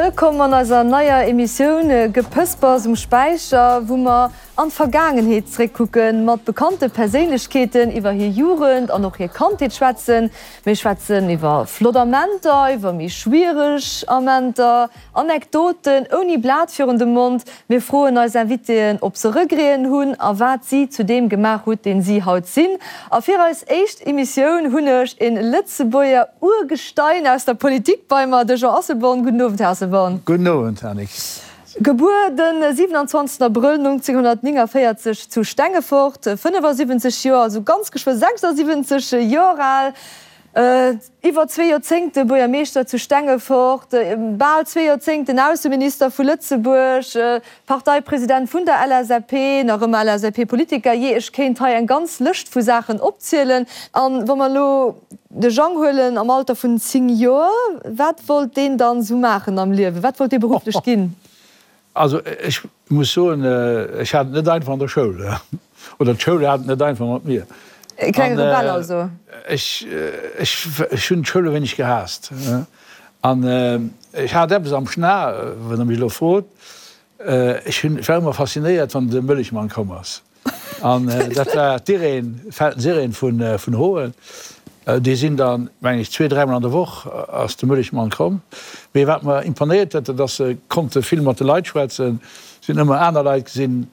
Wëllkomm an eiser neier Emissioun Gepëspers um Späicher, wou mer an d'Vergaangenheet zréckkucken, mat bekannte Perséinlechkeeten iwwer hir Jugend an och hir Kandheet schwätzen. Mir schwätzen iwwer flott Amenter, iwwer méi schwiereg Amenter, Anekdoten ouni Blat virun dem Mond. Mir froen eis Invitéen, ob se Regreten hunn a wat si zu deem gemaach hutt, deen si haut sinn. A fir eis éischt Emissioun hunn ech e Lëtzebuerger Urgestein aus der Politik bei mer, de Jean Asselborn. Gudden Owend, Här Asselborn. Gudden Owend, Annick. Gebuer de 27 Abrëll 1949 zu Stengefort, 75 Joer, also ganz geschwë 76 Joer al. Iwwer zwee Joerzéngte Buergermeeschter zu Stengefort, bal zwee Joerzéngten Ausseminister vu Lëtzebuerg, Parteipresident vun der LSAP, nach ëmmer LSAP-Politiker. Jee, ech kéint hei eng ganz Lëscht vu Saachen opzielen. A wa mer elo de Jang huelen am Alter vun 10 Joer, wat wollt deen dann esou maachen am Liewen? Wat wollt dee berufflech ginn? Also ech muss soen, ech hat et net einfach an der Schoul, oder d'Schoul hat et net einfach mat mir. E klenge Rebell also? Ech, ech, ech hunn d'Schoul e wéineg gehaasst. An ech hat eppes am Schna, wann Der mech elo frot, ech hunn, ech war ëmmer faszinéiert, wann de Mëllechmann komm ass. An dat war d'Irène, Feltens Irène vun Hoen. Déi sinn dann, mengen ech, zwee, dräimol an der Woch ass de Mëllechmann komm. Mee wat mer imponéiert huet, dat ass, se konnte vill mat de Leit schwätzen. Se hunn ëmmer aner Leit gesinn.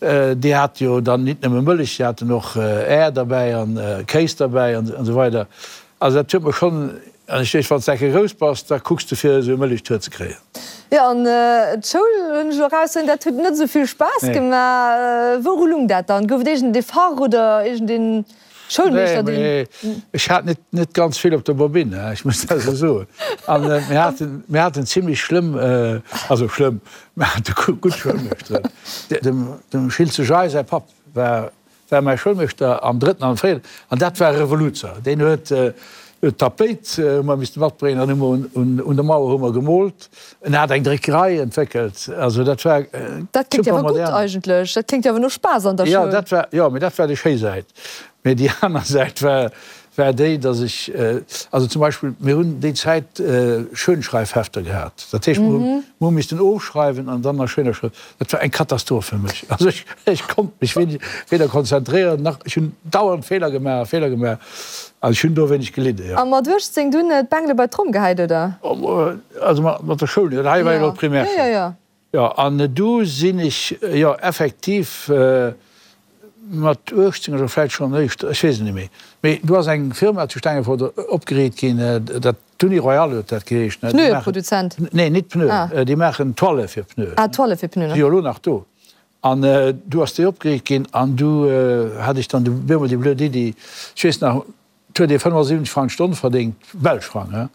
Déi hate jo dann nit nëmme Mëllech, déi haten och Äer derbäi an Kéis derbäi an esou weider. Also dat huet mer schonn, an ech weess, wann s de enke grouss bass, da kucks de fir esou e Mëllechtour ze kréien. Jo, an d'Schoul, hunn ech elo erausfonnt, dat huet net esou vill Spaass gemaach. Wouru lung dat dann? Gouf et iergend ee Fach oder iergend ee Schoulmeeschter, deen. Nee, mee ech hat net, net ganz vill op der Bobinn, ech muss dat esou soen. An mir haten, mir haten zimlech schlëmm, also schlëmm, mir hate gutt Schoulmeeschteren. Dem, dem Schiltze Jay säi Papp war war mäi Schoulmeeschter am drëtten an am véierten, an dat war e Revoluzer. Deen huet d'Tapéit hu mer misste matbréngen, dann hu mer un der Mauer hu mer gemoolt. En hat eng Dréckerei entwéckelt, also dat war super modern. Dat kléngt jo awer gutt eigentlech, dat kléngt jo awer no Spaass an der Schoul. Jo, dat war, jo, mee dat war déi schéi Säit. Mee déi aner Säit war, war déi, datt ech, also zum Beispill, mir hunn déi Zäit Schönschreifhefter gehat. Dat heescht, mir hu, mir hu missten ofschreiwen an dann a schéiner Schrëft. Dat war eng Katastroph fir mech. Also ech, ech konnt mech weder konzentréieren nach, ech hunn dauernd Feeler gemaach, Feeler gemaach. Also ech hunn do e wéineg gelidde, jo. A mat 18 dunn d'Bengele bei d'Tromm gehäit, oder? Also mat der Schoul, dat hei war jo elo d'Primärschoul. Jo, jo, jo. Jo, an du sinn ech, jo, effektiv mat 18 oder vläicht schonn éischter, ech weess et net méi, mee du ass eng Firma zu Stengefort opgeriit ginn, dat, d'Uni Royale huet dat geheescht. Pneueproduzent? Nee, nit Pneuen, déi maachen Toile fir Pneuen. Ah, Toile fir Pneuen, ok. Si jo elo nach do. An du ass déi opgeriicht ginn an du hat ech dann op eemol déi blöd Iddi, ech weess nach, Et huet ee 75 Frang d'Stonn verdéngt, belsch Frang, he.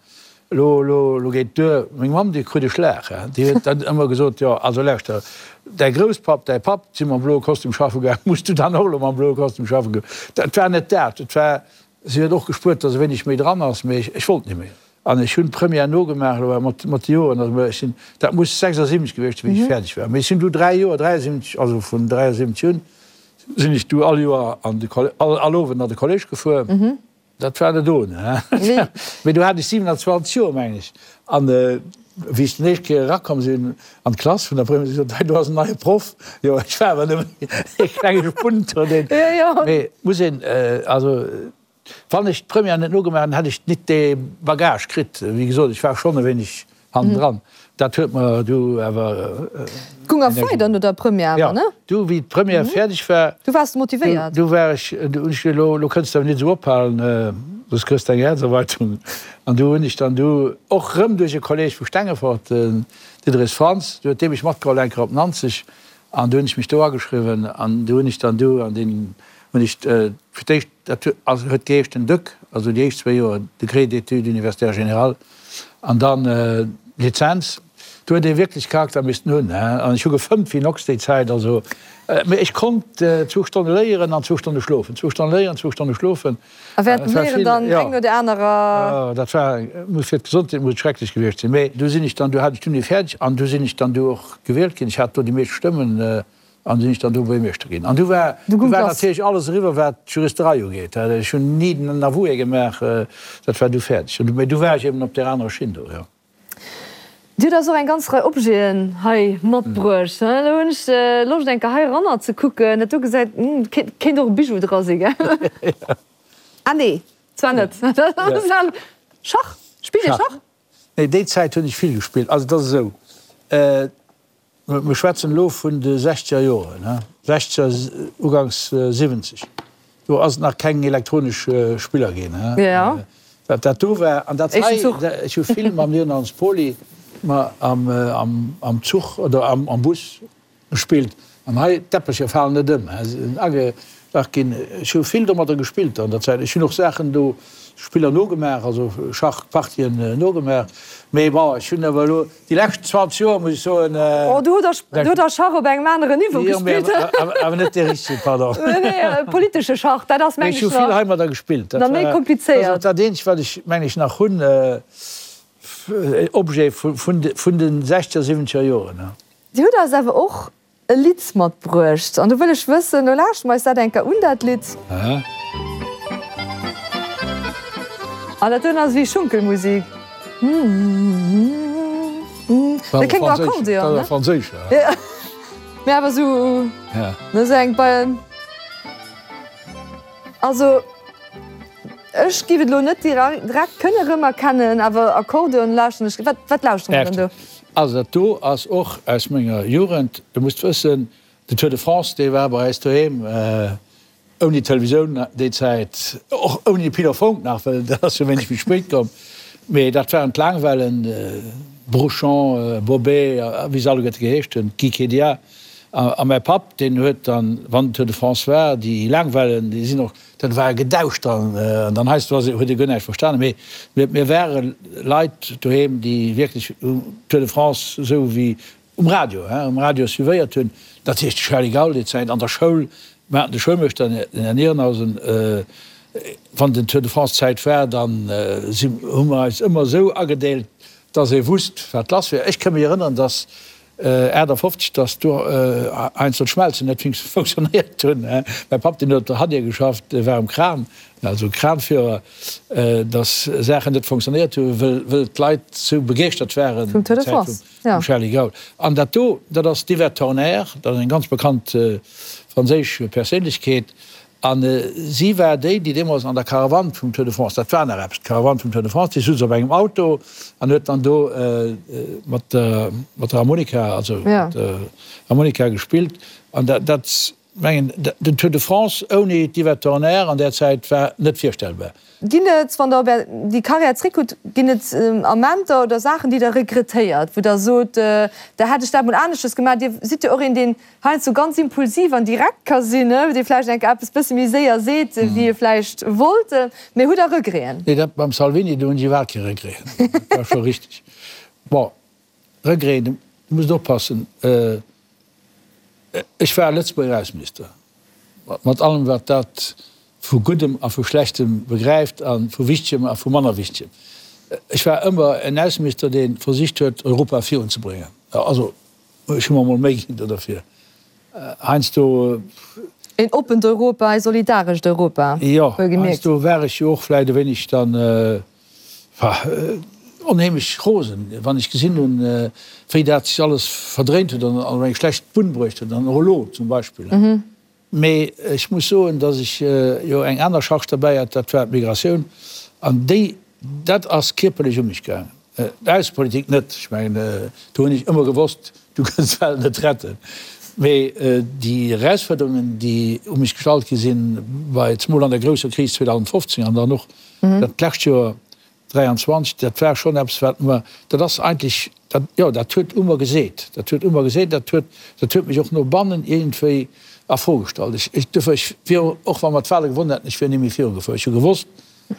Elo, elo, elo geet et duer. Meng Mamm, déi krut e Schlag, he. Déi huet dann ëmmer gesot, Jo, also lauschter, däi Grousspapp, däi Papp si mam bloe Kostüm schaffe gaangen, muss du dann och elo mam bloe Kostüm schaffe goen? Dat war net dat. Et war, si huet och gespuert, datt e wéineg méi dran ass, mee ech, ech wollt net méi. An ech hunn d'Première nogemaach, elo mat, mat de Joren, also ech sinn, dat muss 76 gewiescht sinn, wéi ech fäerdeg war. Mee ech sinn du dräi Joer, 73, also vun 73 un, Sinn ech du all Joer an de all all Owend an de Collège gefuer. Dat war net ohne, he? Mee du hat ech 27 Joer, mengen ech. An wéi ech den éischt Kéier erakomm sinn an d'Klass vun der Première, hu se gesot, hei do ass en neie Proff. Jo, ech war awer nëmmen ee klenge Spunt do, deen. Mee muss een, also Wann ech d'Première net nogemaach hätt, hätt ech nit dee Bagage kritt. Wéi gesot, ech war schonn e wéineg hannendran. Dat huet mer du awer. Goung awer weider no der Première awer, ne? Jo, du wéi d'Première fäerdeg war. Du waars motivéiert. Du war ech, du hunn ech gesot, elo, elo kënns de awer nit esou ophalen, soss kriss de eng Häerzerweitung. An du hunn ech dann du och rëm duerch e Kolleg vu Stengefort, den Diderich Frantz, du huet dee mech matgeholl eng Kéier op Nanzeg an du hunn ech mech do ageschriwwen an du hunn ech dann du an deen hunn ech fir d'éischt, dat huet geheescht den DEUG, also déi éischt zwéi Joer Degré d'études universitaires générales an dann d'Lizenz. Do huet ee wierklech Charakter missten hunn, he. An ech hu gefëmmt wéi en Ochs déi Zäit, also, mee ech konnt zwou Stonne léieren an zwou Stonne schlofen, zwou Stonne léieren, zwou Stonne schlofen. A während dem Léieren dann eng no der anerer. Jo, dat war, muss fir d'Gesondheet muss et schrecklech gewiescht sinn. Mee du sinn ech dann, du hat ech d'Uni fäerdeg an du sinn ech dann du och gewielt ginn. Ech hat do déi meescht Stëmmen. An sinn ech dann do Buergermeeschter ginn. An du war, du war natierlech alles eriwwer, wat d'Juristerei ugeet. Ech hunn ni den Avoué gemaach, dat war du fäerdeg. Mee du war ech eben op där anerer Schinn do, jo. Dir hutt eis och eng ganz Rei Objeten hei matbruecht. Elo hunn ech Loscht eng Kéier hei eranner ze kucken. Dat do gesäit, kéint och e Bijou dra sinn, gell? Ah nee, zwar net. Schach? Spillt Dir Schach? Nee, déi Zäit hunn ech vill gespillt. Also et ass esou, Mir schwätzen elo vun de sechzeger Joren, sechzeger, uganks 70. Do ass et nach keng elektronesch Spiller ginn. Wat dat do war an dat hei, ech hu vill mam Leonard Pauly am Zuch oder am Bus gespillt. An hei, d'Äppelcher falen net ëm, se sinn agedach ginn. Ech hu vill domadder gespillt an der Zäit. Ech hunn och Saachen do, Spiller nogemaach, also Schachpartien nogemaach. Mee bon, ech hunn awer elo déi lescht 20 Joer, muss ech soen. Oh, du hutt der Schach op engem aneren Niveau gespillt. Jo, mee awer net dee richtegen, pardon. Nee, nee, politesche Schach, dat ass, meng ech, nach. Mee ech hu vill heimadder gespillt. Nach méi komplizéiert. Dat ass och dat eenzegt, wat ech, meng ech, nach hunn, Objet vun de sechzeger, siwwenzeger Joren. Dir hutt eis awer och e Lidd matbruecht an do wëll ech wëssen, lo lauschte mer eis dat eng Kéier un, dat Lidd. An dat doen ass ewéi Schunkelmusik. Dat kléngt no Akkordeon, ne? Franséisch, ja. Mee awer esou, ne, esou eng bei. Also ech giff et lo net direkt kënne rëmerkennen, awer Akkordeon lauschteren ech. Wat, wat lauschtere mer denn do? Also dat do ass och aus menger Jugend. Du musst wëssen, den Tour de France, dee war bei eis doheem ouni Televisioun déi Zäit, och ouni Pil Fonck nach, well dat ass jo wéineg méi spéit komm. Mee dat waren d'Laangwellen, Brochant, Bobet a wéi se alleguerte geheescht hunn, Guy Kédia. A mäi Papp, deen huet dann, wann den Tour de France war, déi Laangwellen, déi sinn och, dat war e Gedauscht dann, an dann heiansdo ass, huet ee guer näischt verstanen. Mee mir, mir ware Leit doheem, déi wierklech Tour de France esou wéi um Radio, hein, um Radio suivéiert hunn. Dat heescht, de Charly Gaul déi Zäit an der Schoul, mir haten de Schoulmeeschter, den Här Nierenhausen, wann den Tour de France Zäit war, dann si, hu mer eis ëmmer esou agedeelt, dass ee wusst, wat lass wier. Ech ka mech erënneren, dass 58, dass do heiansdo d'Schmelzen net funktionéiert hunn. Mäi Papp, deen huet op der Hadier geschafft, dee war um Kran, also Kranführer, dass Saachen net funktionéiert hunn, wëll, wëll d'Leit sou begeeschtert waren vum Tour de France, vum Charly Gaul. An dat do, dat ass d'Yvette Torner, dat ass eng ganz bekannt franséisch Perséinlechkeet, A si war déi, déi deemools an der Caravane vum Tour de France, dat war nach eppes, d'Caravane vum Tour de France, déi souz op engem Auto an huet dann do mat der, mat der Harmonika, also mat der Harmonika gespillt. An dat, dat mengen, den Tour de France ouni d'Yvette Horner an där Zäit war net virstellbar. Ginn et, wann Der op Är, déi Karriär zréckkuckt, ginn et Amenter oder Saachen, déi Der regrettéiert, wou Der sot, da hätt ech dat mol aneschters gemaach? Dir sidd jo och een, deen heiansdo ganz impulsiv an direkt ka sinn, dee vläicht eng Kéier eppes bësse méi séier seet, wéi e vläicht wollt. Mee hutt Der Regreten? Nee, dat mam Salvini, do hunn ech iwwerhaapt kee Regret. Dat war scho richteg. Bon, Regreten, du musst oppassen, ech war Lëtzebuerger Ausseminister, mat allem wat dat vu Guddem a vu Schlechtem begräift a vu Wichtegem a vu manner Wichtegem. Ech war ëmmer en Ausseminister, dee versicht huet, Europa virunzebréngen. Also Ech hu mer mol Méi ginn do derfir. Heiansdo. Een oppent Europa, ee solidarescht Europa, Jo, heiansdo war ech jo och vläicht e wéineg dann onheemlech rosen, wann ech gesinn hunn, wéi dat sech alles verdréint huet an op eng schlecht Bunn bruecht huet, an och elo zum Beispill. Mee ech muss soen, datt ech jo eng aner Charge derbäi hat, dat war d'Migratioun. An déi, dat ass kierperlech u mech gaangen. D'Aussepolitik net, ech mengen, do hunn ech ëmmer gewosst, du kënns d'Welt net retten. Mee déi Erausfuerderungen, déi u mech gestallt gi sinn, bei zemol an der grousser Kris 2015 an dann och dat lescht Joer, 23, dat war schonn eppes, wat mer, dat ass eigentlech, dat, jo, dat huet u mer geseet, dat huet u mer geseet, dat huet, dat huet mech och no bannen iergendwéi a Fro gestallt. Ech, ech, duerfir, ech wier, och wa mer d'Wahle gewonnen hätten, ech wier ni méi virugefuer. Ech hu gewosst,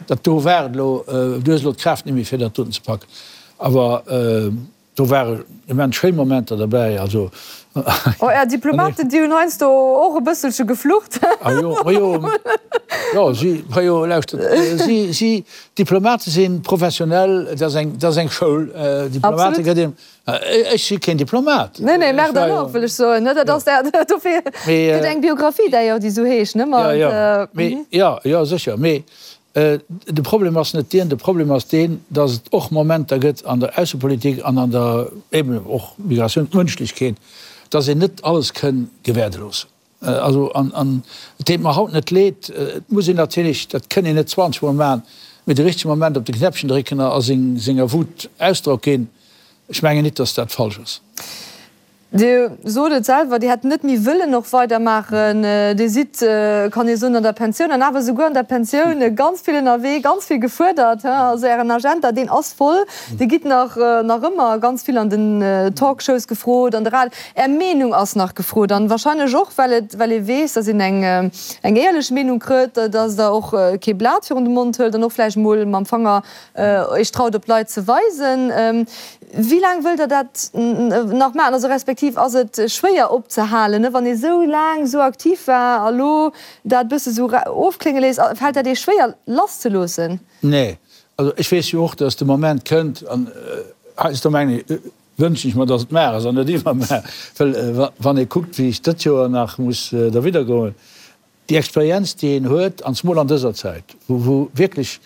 dat do war et elo, du hues elo d'Kraaft net méi, fir dat doten ze packen. Awer. Do ware immens schéin Momenter derbäi, also. Oh, är Diplomaten, déi hunn heiansdo och e bësselche geflucht. Ah jo, ma jo, jo, si, ma jo, lauschtert, si, si, Diplomate si professionell, dat ass eng, dat ass eng Schoul, Diplomate gëtt een, ech si keen Diplomat. Nee, nee, merde alors, wëll ech soen, ne, dat ass dat, dofir gëtt eng Biographie d'ailleurs, déi esou heescht, ne, mat. Jo, jo, mee, jo, jo, sécher, mee. De Problem ass net dien, de Problem ass deen, datt et och Momenter gëtt an der Aussepolitik an an der eben och Migratioun, d'Mënschlechkeet, datt een net alles kënn gewäerde loossen. Also, an, an et deet mer haut net leed, et muss een natierlech, dat kënn een net 20 Mol maachen, mee de richtege Moment op de Knäppchen drécken a seng, senger Wut Ausdrock ginn. Ech mengen nit, datt dat falsch ass. Dir sot et selwer, Dir hätt net méi wëllen och weidermaachen. Dir sidd, kann ee soen, an der Pensioun an awer souguer an der Pensioun ganz vill ënnerwee, ganz vill gefuerdert. Also Ären Agenda, deen ass voll. Dir gitt nach, nach ëmmer ganz vill an den Talkshows gefrot, an de Radio. Är Meenung ass nach gefrot an wahrscheinlech och, well et, well ee weess, datt een eng, eng éierlech Meenung krëtt, datt Der och kee Blat virun de Mond hëlt an och vläicht mol mam Fanger Iech traut op d'Leit ze weisen. Wéi laang wëllt Der dat nach maachen? Also respektiv ass et schwéier opzehalen, wann ee sou laang sou aktiv war a lo dat bësse sou ofklénge léisst? Fält dat Iech schwéier lasszeloossen? Nee. Also ech weess jo och, datt de Moment kënnt, an heiansdo mengen ech, wënschen ech mer, datt et mar ass an net iwwermar, well wann ee kuckt, wéi ech dëtt Joer nach muss derwidder goen, Déi Experienz, déi een huet, an zemol an dëser Zäit, wou wierklech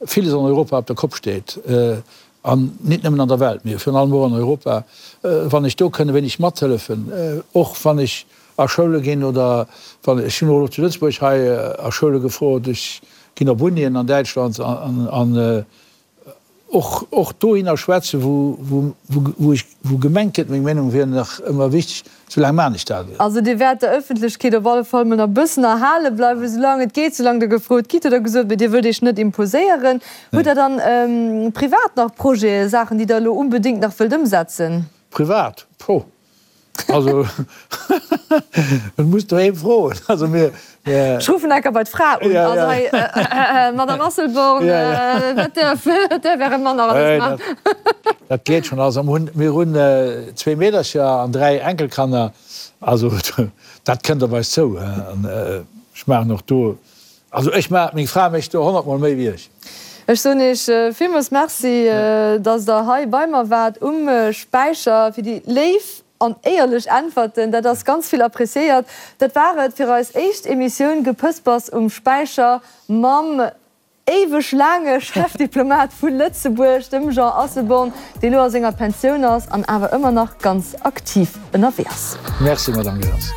villes an Europa op der Kopp steet, an nit nëmmen an der Welt, mee virun allem och an Europa, wann ech do kënn e wéineg mathëllefen, och wann ech a Schoule ginn oder wann, ech hunn och elo zu Lëtzebuerg hei a Schoule gefrot, ech ginn op Unien an Däitschland an Och, och dohinner schwätzen, wou, wou, wou ech, wou gemengt gëtt, meng Meenung wier nach ëmmer wichteg, soulaang maan ech dat. Also Dir wäert der Ëffentlechkeet op alle Fall mol nach e bëssen erhale bleiwen, soulaang et geet, soulaang Der gefrot gitt, hutt Der gesot, mee Dir wëllt Iech net imposéieren. Hutt Der dann privat nach Projeten, Saachen, déi Der elo unbedéngt nach wëllt ëmsetzen? Privat? Poh, Also, et muss doheem froen. Also mir, mir. Ech ruffen enker bei d'Fra un. Also hei, Madame Asselborn, wat däerf, wat däerf Äre Mann nach alles maachen? Dat geet schonn. Also mir hunn zwee Meedercher an 3 Enkelkanner. Also dat kënnt op eis zou. An ech maachen och do, also ech maachen, meng Fra mécht do honnertmol méi wéi ech. Ech soen Iech villmools Merci, dass Der hei bei mer waart um Späicher, fir déi léif an éierlech Äntwerten. Dat ass ganz vill appréciéiert. Dat war et fir eis éischt Emissioun Gepëspers um Späicher mam éiweg laange Chefdiplomat vu Lëtzebuerg, dem Jean Asselborn, dee lo a senger Pensioun ass an awer ëmmer nach ganz aktiv ënnerwee ass. Merci, Madame Goerens.